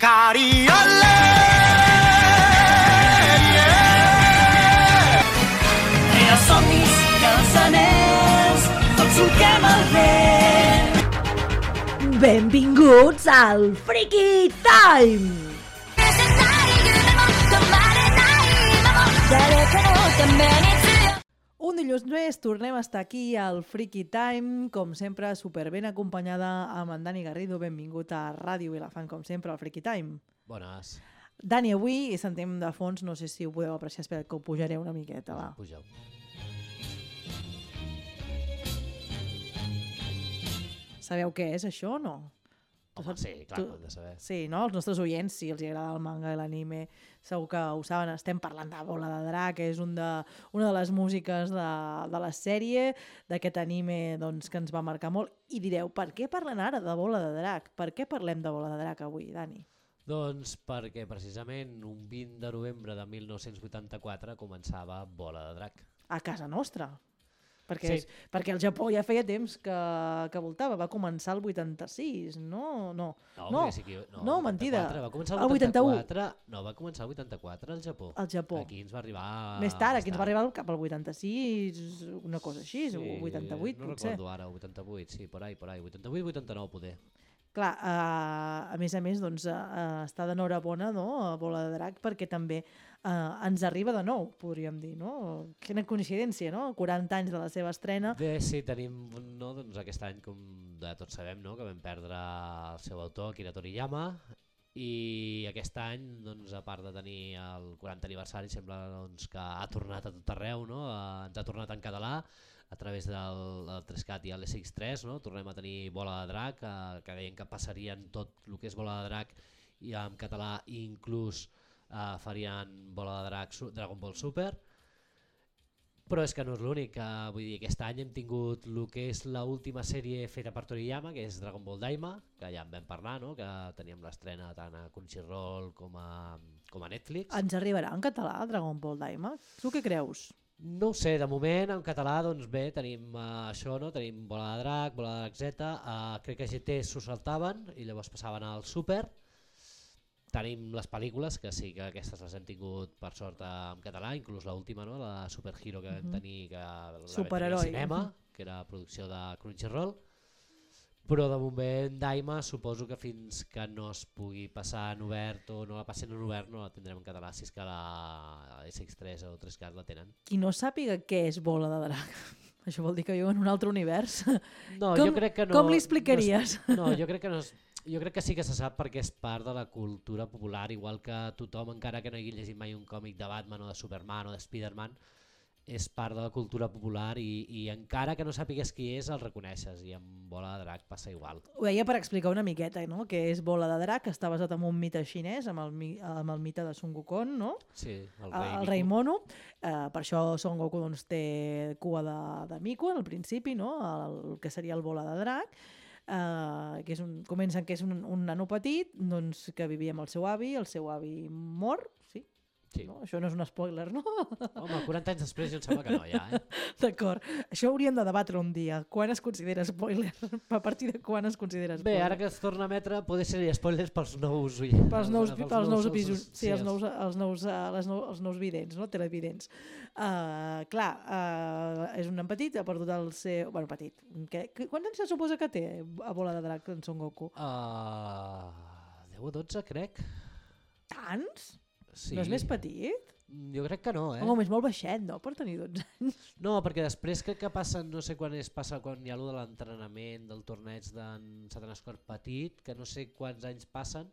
Cariole! Els somnis i els anells, tots solquem el vent. Benvinguts al Freaky Time! Un dilluns més tornem a estar aquí al Freaky Time, com sempre, superben acompanyada amb en Dani Garrido. Benvingut a Ràdio Vilafant, com sempre, al Freaky Time. Bones. Dani, avui sentim de fons, no sé si ho podeu apreciar, espera que ho pujaré una miqueta, va. Pugeu. Sabeu què és això o no? Home, sí, clar, ho hem de saber. Sí, no? Els nostres oients, si els agrada el manga i l'anime, segur que ho saben. Estem parlant de Bola de Drac, que és una de les músiques de la sèrie, d'aquest anime doncs, que ens va marcar molt. I direu, per què parlen ara de Bola de Drac? Per què parlem de Bola de Drac avui, Dani? Doncs perquè precisament un 20 de novembre de 1984 començava Bola de Drac. A casa nostra. Sí. Perquè el Japó ja feia temps que voltava. Va començar el 86, no? No, mentida. Va començar el 81. No, va començar el 84 al Japó. Al Japó. Aquí ens va arribar... Més tard, aquí ens va arribar cap al 86, una cosa així, sí, 88 no potser. recordo ara, 88, sí, por ahí, 88, 89 poder. Clar, a més, doncs, està d'enhorabona, no?, a Bola de Drac, perquè també ens arriba de nou, podríem dir, no? Quina coincidència, no? 40 anys de la seva estrena. Bé, sí, tenim doncs, aquest any, com tots sabem, no?, que vam perdre el seu autor, Akira Toriyama, i aquest any, doncs, a part de tenir el 40 aniversari, sembla doncs, que ha tornat a tot arreu, no? Ens ha tornat en català, a través del 3CAT i l'SX3, no? Tornem a tenir Bola de Drac, que deien que passarien tot el que és Bola de Drac i en català, i inclús farien Bola de Drac Dragon Ball Super. Però és que no és l'únic, vull dir, aquest any hem tingut el que és l'última sèrie feta per Toriyama, que és Dragon Ball Daima, que ja en vam parlar, no? Que teníem l'estrena tant a Crunchyroll com a Netflix. Ens arribarà en català Dragon Ball Daima? Tu què creus? No ho sé, de moment en català doncs bé, tenim això, no? Tenim Bola de Drac, Bola de Drac Z, crec que GT s'ho saltaven i llavors passaven al Super. Tenim les pel·lícules, que sí que aquestes les hem tingut per sort en català, inclús l'última, no? La Super Hero que vam tenir, que la vam tenir al cinema, que era producció de Crunchyroll. Però de moment Daima suposo que fins que no es pugui passar en obert o no la passin en obert no la tindrem en català, si és que la SX3 o 3CAT la tenen. Qui no sàpiga què és Bola de Drac, això vol dir que viu en un altre univers? No, jo crec que no. Com li explicaries? No, jo crec que no és... Jo crec que sí que se sap perquè és part de la cultura popular, igual que tothom, encara que no hagi llegit mai un còmic de Batman o de Superman o de Spiderman, és part de la cultura popular i encara que no sàpigues qui és, el reconeixes, i amb Bola de Drac passa igual. Ho deia per explicar una miqueta, no? Que és Bola de Drac, que està basat en un mite xinès, amb el mite de Son Wukong, no? Sí, el rei Mono. Per això Son Goku doncs, té cua de mico al principi, no? El que seria el Bola de Drac. Que comencen que és un nano petit doncs, que vivia amb el seu avi mor, sí? Sí. No? Això no és un spoiler, no? Home, 40 anys després jo em sembla que no, ja. D'acord. Això hauríem de debatre un dia. Quan es considera spoiler? A partir de quan es considera spoiler? Bé, ara que es torna a emetre, poder ser spoilers pels nous oients. Pels nous episodis. Sí, els nous vidents, no? Televidents. Clar, és un nen petit, ha perdut el seu... Bueno, petit. Quants anys se suposa que té a Bola de Drac en Son Goku? 10 o 12, crec. Tants? Sí. No és més petit? Jo crec que no, Home, és molt baixet, no?, per tenir 12 anys. No, perquè després crec que passa, no sé quan passa quan hi ha allò de l'entrenament del torneig d'en Satanàs Cor Petit, que no sé quants anys passen,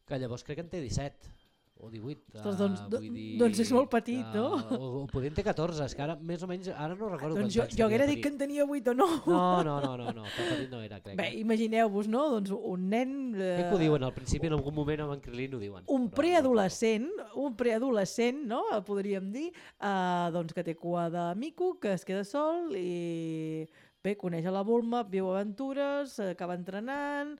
que llavors crec que en té 17 o 18. Ostres, vull dir doncs és molt petit, no? O podria en té 14, és que ara més o menys, ara no recordo doncs quants anys jo haguera dit que en tenia 8 o 9. No, tan petit no era, crec. Bé, imagineu-vos, no? Doncs un nen... Crec que ho diuen al principi, en algun moment amb en Krilin ho diuen. Un preadolescent, no? Podríem dir, doncs que té cua de mico, que es queda sol i bé, coneix a la Bulma, viu aventures, acaba entrenant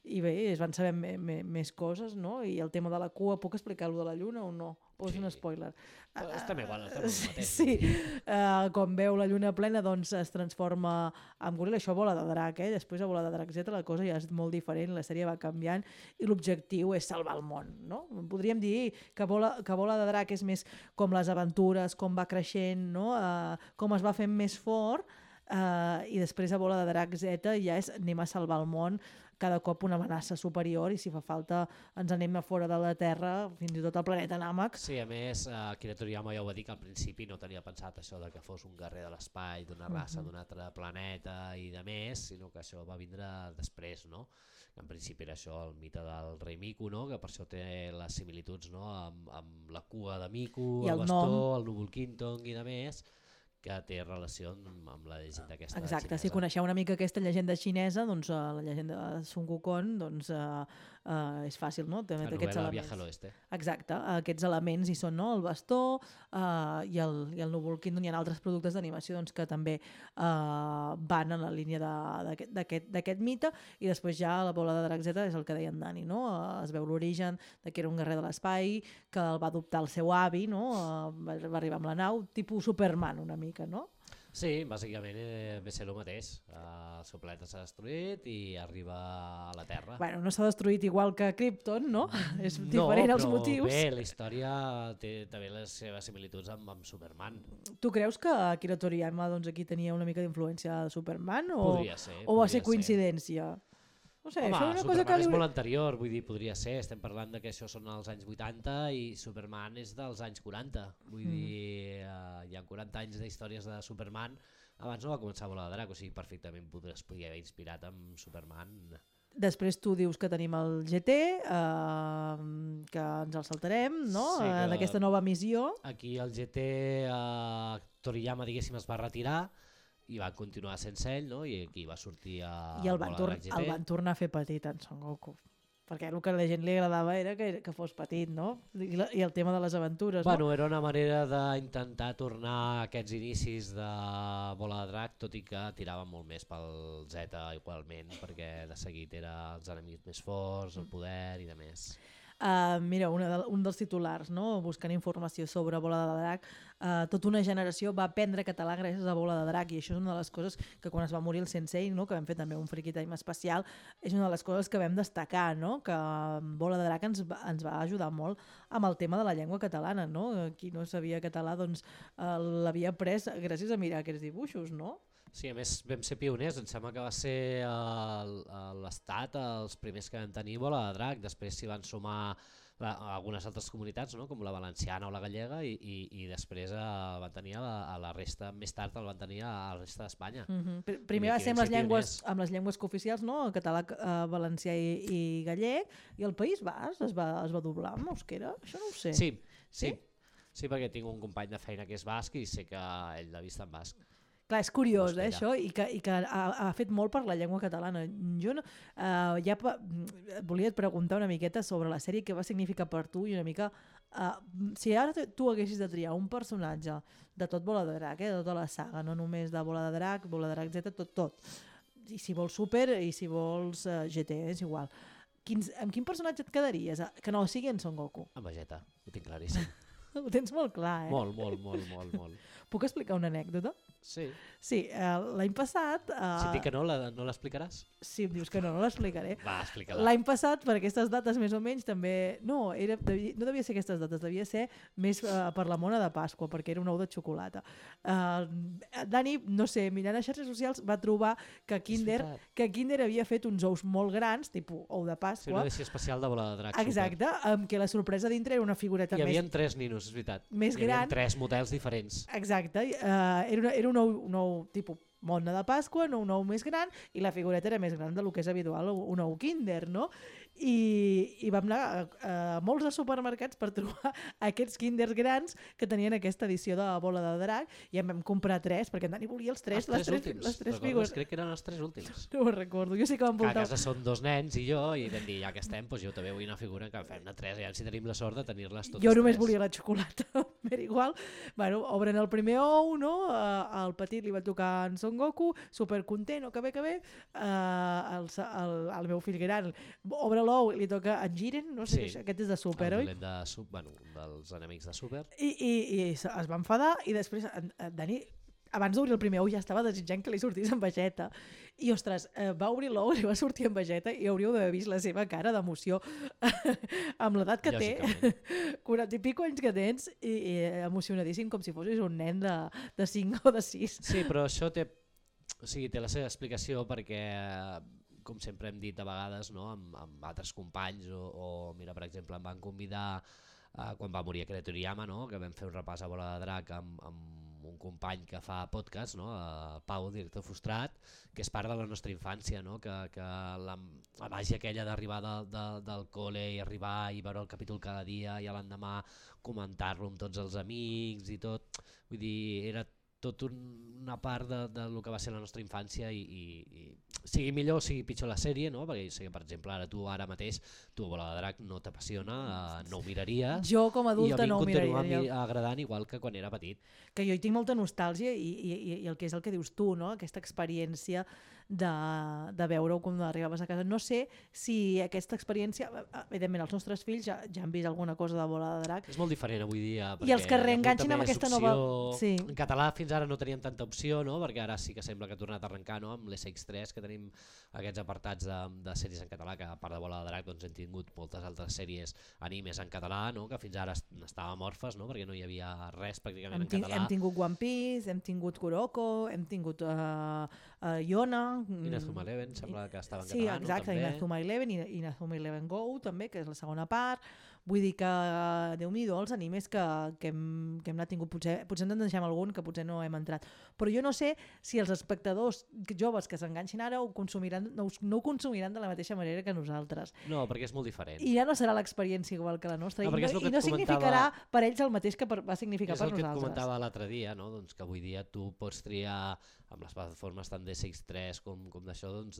i bé, es van saber més coses, no? I el tema de la cua, puc explicar-lo de la lluna o no? O és un spoiler? Està bé, bueno, està bé el mateix. Sí, quan veu la lluna plena doncs es transforma en goril·la, això Bola de Drac, després a Bola de Drac Z la cosa ja és molt diferent, la sèrie va canviant i l'objectiu és salvar el món, no? Podríem dir que Bola de Drac és més com les aventures, com va creixent, no? Com es va fent més fort, i després a Bola de Drac Z ja és anem a salvar el món, cada cop una amenaça superior i si fa falta ens anem a fora de la Terra, fins i tot al planeta Nàmac. Sí, a més, Akira Toriyama ja ho va dir que al principi no tenia pensat això de que fos un guerrer de l'espai, d'una raça, d'un altre planeta i de més, sinó que això va vindre després, no? En principi era això, el mite del rei Miku, no? Que per això té les similituds, no? Amb la cua de Miku, el bastó, el núvol Quintong i de més, que té relació amb la llegenda aquesta xinesa. Exacte, si coneixeu una mica aquesta llegenda xinesa, doncs la llegenda de Sun Wukong, doncs és fàcil, no? La novel·la Viaje al Oeste. Exacte, aquests elements hi són, no? El bastó i el núvol Quintong. Hi ha altres productes d'animació doncs, que també van en la línia d'aquest mite, i després ja la Bola de Drac Z és el que deia en Dani, no? Es veu l'origen de que era un guerrer de l'espai, que el va adoptar el seu avi, no? Va arribar amb la nau, tipus Superman una mica, no? Sí, bàsicament ve ser el mateix. El seu planeta s'ha destruït i arriba a la Terra. Bueno, no s'ha destruït igual que Krypton, no? És diferent els motius. Bé, la història té també les seves similituds amb Superman. Tu creus que Akira Toriyama doncs, aquí tenia una mica d'influència de Superman? Podria ser. O va ser coincidència? No sé, home, això és una Superman cosa que és molt anterior, vull dir, podria ser. Estem parlant de que això són els anys 80 i Superman és dels anys 40. Vull dir, hi ha 40 anys d'històries de Superman. Abans no va començar a Bola de Drac, o sigui, perfectament es podia haver inspirat amb Superman. Després tu dius que tenim el GT, que ens el saltarem, no? Sí, d'aquesta nova missió. Aquí el GT, Toriyama, diguéssim, es va retirar i va continuar sense ell, no? I aquí va sortir a I el Bola de Drac GT. el van tornar a fer petit en Son Goku, perquè el que a la gent li agradava era que fos petit, no? I el tema de les aventures, bueno, no? Era una manera d'intentar tornar a aquests inicis de Bola de Drac, tot i que tirava molt més pel Z igualment, perquè de seguit eren els enemics més forts, el poder i de més. Mira, un dels titulars, no? Buscant informació sobre Bola de Drac, tota una generació va aprendre català gràcies a Bola de Drac, i això és una de les coses que quan es va morir el sensei, no? Que vam fer també un Freaky Time especial, és una de les coses que vam destacar, no? Que Bola de Drac ens va ajudar molt amb el tema de la llengua catalana, no? Qui no sabia català doncs l'havia après gràcies a mirar aquests dibuixos, no? Sí, a més vam ser pioners, em sembla que va ser l'Estat els primers que van tenir Bola de Drac, després s'hi van sumar algunes altres comunitats, no? Com la valenciana o la gallega, i després van tenir a la resta, més tard el van tenir a la resta d'Espanya. Primer va ser amb les llengües cooficials, no? El català, valencià i gallec, i el País Basc es va doblar amb euskera, això no ho sé. Sí, perquè tinc un company de feina que és basc i sé que ell l'ha vist en basc. Clar, és curiós, això, i que ha fet molt per la llengua catalana. Jo volia et preguntar una miqueta sobre la sèrie, què va significar per tu, i una mica, si ara tu haguessis de triar un personatge de tot Bola de Drac, de tota la saga, no només de Bola de Drac Z, tot, i si vols Super i si vols GT, és igual, amb quin personatge et quedaries? Que no sigui en Son Goku. Amb Vegeta, ho tinc claríssim. Ho tens molt clar, Molt. Puc explicar una anècdota? Sí. Sí, l'any passat... Si et dic que no l'explicaràs? Si em dius que no l'explicaré. Va, explica-la. L'any passat, per aquestes dates més o menys, també... No devia ser aquestes dates, devia ser més per la mona de Pasqua, perquè era un ou de xocolata. Dani, no sé, mirant a xarxes socials, va trobar que Kinder havia fet uns ous molt grans, tipus ou de Pasqua. Sí, una edició especial de Bola de Drac. Exacte, amb què la sorpresa dintre era una figureta més... Hi havia 3 ninos, és veritat. Més gran. Hi havia 3 models diferents. Exacte, era un ou tipus mona de Pasqua, un ou més gran, i la figureta era més gran del que és habitual, un ou Kinder, no? I vam anar a molts supermercats per trobar aquests Kinders grans que tenien aquesta edició de Bola de Drac, i en vam comprar 3, perquè en Dani volia les 3 figures. Crec que eren els 3 últims. No ho recordo, jo sí que vam voltar... A casa són 2 nens i jo, i vam dir, ja que estem, doncs jo també vull una figura que fem-ne 3, i si tenim la sort de tenir-les totes 3. Jo només volia la xocolata, m'era igual. Bueno, obren el primer ou, no? El petit li va tocar en Son Goku, supercontent, que bé. El meu fill gran obre l'ou i li toca en Jiren, no sé, Sí. aquest és de Super, El oi? violent un dels enemics de Super. I es va enfadar i després en Dani, abans d'obrir el primer ou ja estava desitjant que li sortís en Vegeta i ostres, va obrir l'ou, li va sortir en Vegeta i hauríeu d'haver vist la seva cara d'emoció amb l'edat que té, Lògicament. 40 i pico anys que tens i emocionadíssim com si fossis un nen de 5 o de 6. Sí, però això té la seva explicació perquè, com sempre hem dit a vegades, no? amb altres companys, o mira, per exemple, em van convidar quan va morir Akira Toriyama, no? Que vam fer un repàs a Bola de Drac amb un company que fa podcast, no? El Pau, director frustrat, que és part de la nostra infància, no? Que la màgia aquella d'arribar del col·le i arribar i veure el capítol cada dia i a l'endemà comentar-lo amb tots els amics i tot, vull dir, era tot una part del que va ser la nostra infància i sigui millor o sigui pitjor la sèrie, no? Perquè sé que, per exemple, ara mateix tu Bola de Drac no t'apassiona, no ho miraries, Jo com a adulta no ho i a mi em miraria. continua agradant igual que quan era petit. Que jo hi tinc molta nostàlgia i el que és el que dius tu, no? Aquesta experiència de veure-ho quan arribaves a casa. No sé si aquesta experiència, evidentment els nostres fills ja han vist alguna cosa de Bola de Drac. És molt diferent avui dia. I els que hi ha molta reenganxin amb més aquesta opció. nova... Sí. En català fins ara no teníem tanta opció, no? Perquè ara sí que sembla que ha tornat a arrencar, no? Amb l'SX3, que tenim aquests apartats de sèries en català, que a part de Bola de Drac doncs hem tingut moltes altres sèries animes en català, no? Que fins ara estàvem orfes, no? Perquè no hi havia res pràcticament en català. Hem tingut One Piece, hem tingut Kuroko, hem tingut Yona... Inazuma Eleven sembla que estava en Sí, català, exacte, no? També. Inazuma Eleven i Inazuma Eleven Go també, que és la segona part. Vull dir que, Déu-n'hi-do, els animes que hem anat tingut, potser ens en deixem algun que potser no hem entrat. Però jo no sé si els espectadors joves que s'enganxin ara no ho consumiran de la mateixa manera que nosaltres. No, perquè és molt diferent. I ja no serà l'experiència igual que la nostra. No, perquè és el que I no et significarà per ells el mateix que va significar és per el que et nosaltres. comentava l'altre dia, no? Doncs que avui dia tu pots triar amb les plataformes tant d'SX3 com d'això, doncs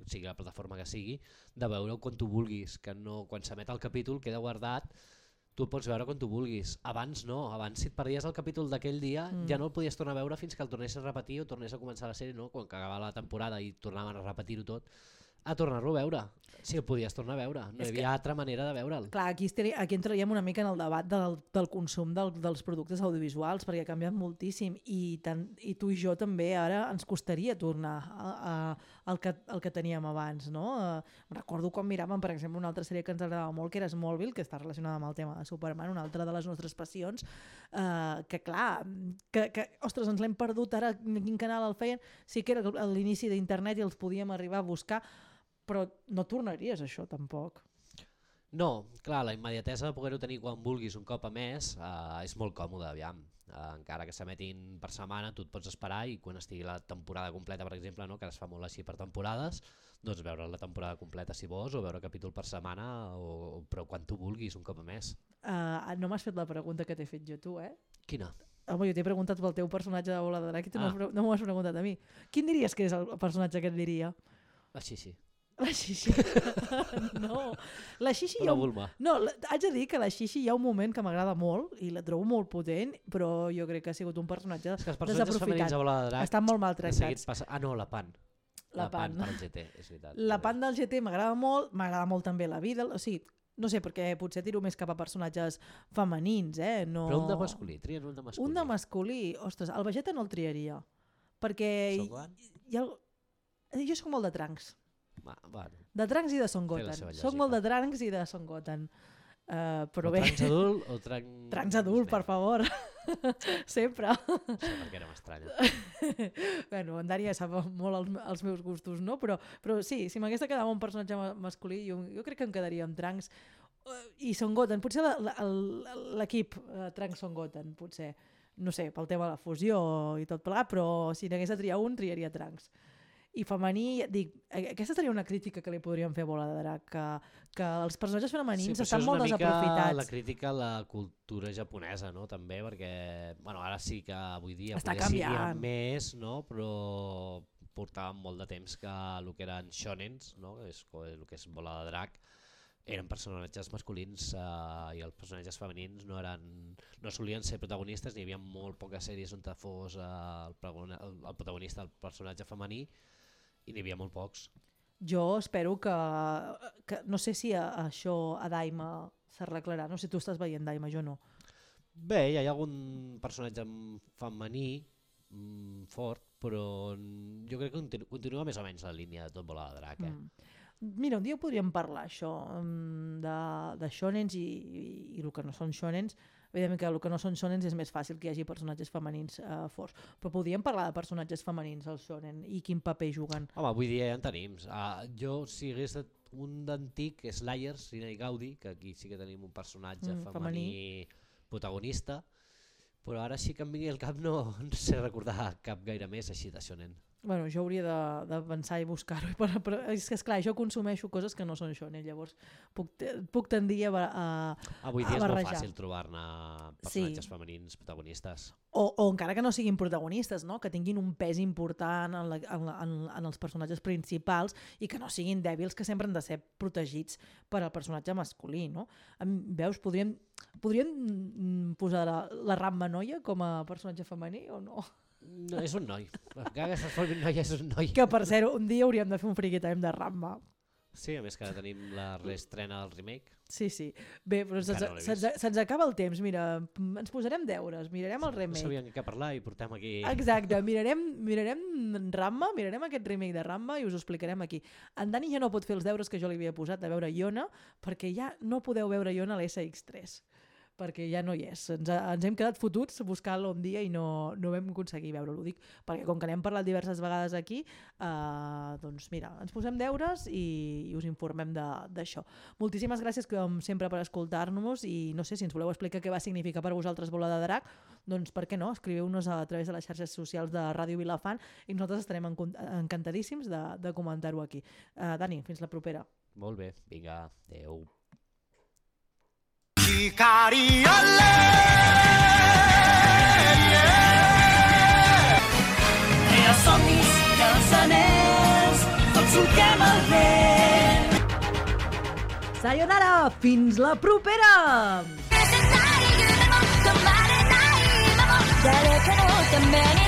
sigui la plataforma que sigui, de veure-ho quan tu vulguis, que no, quan s'emet el capítol queda guardat, tu el pots veure quan tu vulguis. Abans no, abans si et perdies el capítol d'aquell dia ja no el podies tornar a veure fins que el tornessis a repetir o tornés a començar la sèrie, no? Quan acabava la temporada i tornaven a repetir-ho tot, a tornar-lo a veure. Si el podies tornar a veure, no hi havia altra manera de veure'l. Clar, aquí entraríem una mica en el debat del consum dels productes audiovisuals, perquè ha canviat moltíssim i tu i jo també ara ens costaria tornar al que teníem abans, no? Recordo quan miràvem, per exemple, una altra sèrie que ens agradava molt, que era Smallville, que està relacionada amb el tema de Superman, una altra de les nostres passions, que clar, ostres, ens l'hem perdut ara, en quin canal el feien, sí que era a l'inici d'internet i els podíem arribar a buscar, però no tornaries a això tampoc. No, clar, la immediatesa de poder-ho tenir quan vulguis un cop a mes és molt còmode, aviam. Encara que s'emetin per setmana, tu et pots esperar i quan estigui la temporada completa, per exemple, no? Que es fa molt així per temporades, doncs veure la temporada completa si vols o veure capítol per setmana, però quan tu vulguis un cop a mes. No m'has fet la pregunta que t'he fet jo tu, eh? Quina? Home, jo t'he preguntat pel teu personatge de Bola de Drac i tu no m'ho has preguntat a mi. Quin diries que és el personatge que et diria? Així sí. La Xixi. No. La Xixi... La Bulma. No, haig de dir que la Xixi hi ha un moment que m'agrada molt i la trobo molt potent, però jo crec que ha sigut un personatge És que els personatges femenins a Bola de Drac estan molt maltractats. no, la Pan. La Pan. Del GT, és veritat. La Pan del GT m'agrada molt també la vida, o sigui, no sé, perquè potser tiro més cap a personatges femenins, no... Però un de masculí, trien un de masculí. Un de masculí, ostres, el Vegeta no el triaria, perquè... Jo soc molt de Trunks. Bueno. De Trunks i de Son Goten. Soc molt de Trunks i de Son Goten. Però bé... Trunks adult o Trunks... Trunks adult, per favor. Sempre. No sé per què no m'estranya. Bueno, en Dani ja sap molt els meus gustos, no? Però sí, si m'hagués de quedar amb un personatge masculí, jo crec que em quedaria amb Trunks i Son Goten. Potser l'equip Trunks Son Goten, potser. No sé, pel tema de la fusió i tot plegat, però si n'hagués de triar un, triaria Trunks. I femení, dic, aquesta seria una crítica que li podríem fer a Bola de Drac, que els personatges femenins estan molt desaprofitats. La crítica a la cultura japonesa, no? També, perquè bueno, ara sí que avui dia està potser canviant més, no? Però portàvem molt de temps que el que eren shonens, no? El que és Bola de Drac, eren personatges masculins i els personatges femenins no solien ser protagonistes, n'hi havia molt poques sèries on fos el protagonista, el personatge femení, i n'hi havia molt pocs. Jo espero que no sé si això a Daima s'arreglarà, no sé si tu estàs veient Daima, jo no. Bé, hi ha algun personatge femení fort, però jo crec que continua més o menys la línia de Tot vola de drac. Mira, un dia podríem parlar això de shonens i el que no són shonens. Evidentment que el que no són shonens és més fàcil que hi hagi personatges femenins forts, però podríem parlar de personatges femenins al shonen i quin paper juguen. Home, avui dia ja en tenim. Jo, si hagués un d'antic, és Slayers, Rina i Gaudi, que aquí sí que tenim un personatge femení protagonista, però ara sí que em vingui al cap no sé recordar cap gaire més així de shonen. Bueno, jo hauria de pensar i buscar-ho, però és que esclar, jo consumeixo coses que no són shonen, llavors puc tendir a avui dia és barrejar. molt fàcil trobar-ne personatges femenins protagonistes. O encara que no siguin protagonistes, no? Que tinguin un pes important en els personatges principals i que no siguin dèbils, que sempre han de ser protegits per al personatge masculí. No? Veus, podríem posar la Ranma noia com a personatge femení o no? No, és un noi. Encara que se'ls formi un noi, és un noi. Que per cert, un dia hauríem de fer un Freaky Time de Ranma. Sí, a més que ara tenim la reestrena del remake. Sí. Bé, però se'ns acaba el temps. Mira, ens posarem deures, mirarem el remake. No sabíem què parlar i portem aquí... Exacte, mirarem Ranma, mirarem aquest remake de Ranma i us ho explicarem aquí. En Dani ja no pot fer els deures que jo li havia posat de veure Yona, perquè ja no podeu veure Yona a l'SX3. Perquè ja no hi és. Ens hem quedat fotuts buscant-lo un dia i no vam aconseguir veure-lo. Ho dic perquè com que n'hem parlat diverses vegades aquí, doncs mira, ens posem deures i us informem d'això. Moltíssimes gràcies com sempre per escoltar-nos i no sé si ens voleu explicar què va significar per vosaltres Bola de Drac, doncs per què no? Escriveu-nos a través de les xarxes socials de Ràdio Vilafant i nosaltres estarem encantadíssims de comentar-ho aquí. Dani, fins la propera. Molt bé, vinga, adeu. 光よれEra somnis i els anells tots solquem el vent Sayonara, fins la propera! 誰かのために